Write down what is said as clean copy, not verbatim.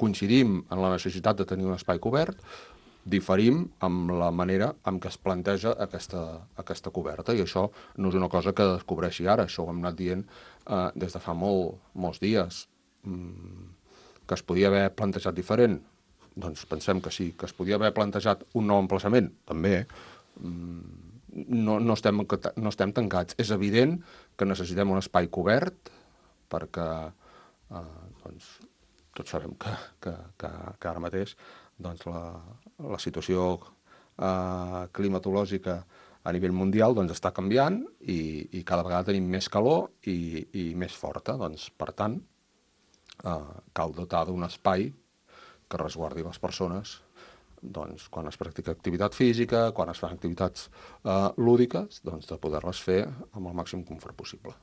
coincidim en la necessitat de tenir un espai cobert, diferim amb la manera en què es planteja aquesta coberta, i això no és una cosa que descobreixi ara, això ho hem anat dient des de fa molts dies. Que es podia haver plantejat diferent? Doncs pensem que sí. Que es podia haver plantejat un nou emplaçament? També. No estem tancats. És evident que necessitem un espai cobert perquè tots sabem que ara mateix la situació climatològica a nivell mundial està canviant i cada vegada tenim més calor i més forta. Per tant, cal dotar d'un espai que resguardi les persones quan es practica activitat física, quan es fan activitats lúdiques, de poder-les fer amb el màxim confort possible.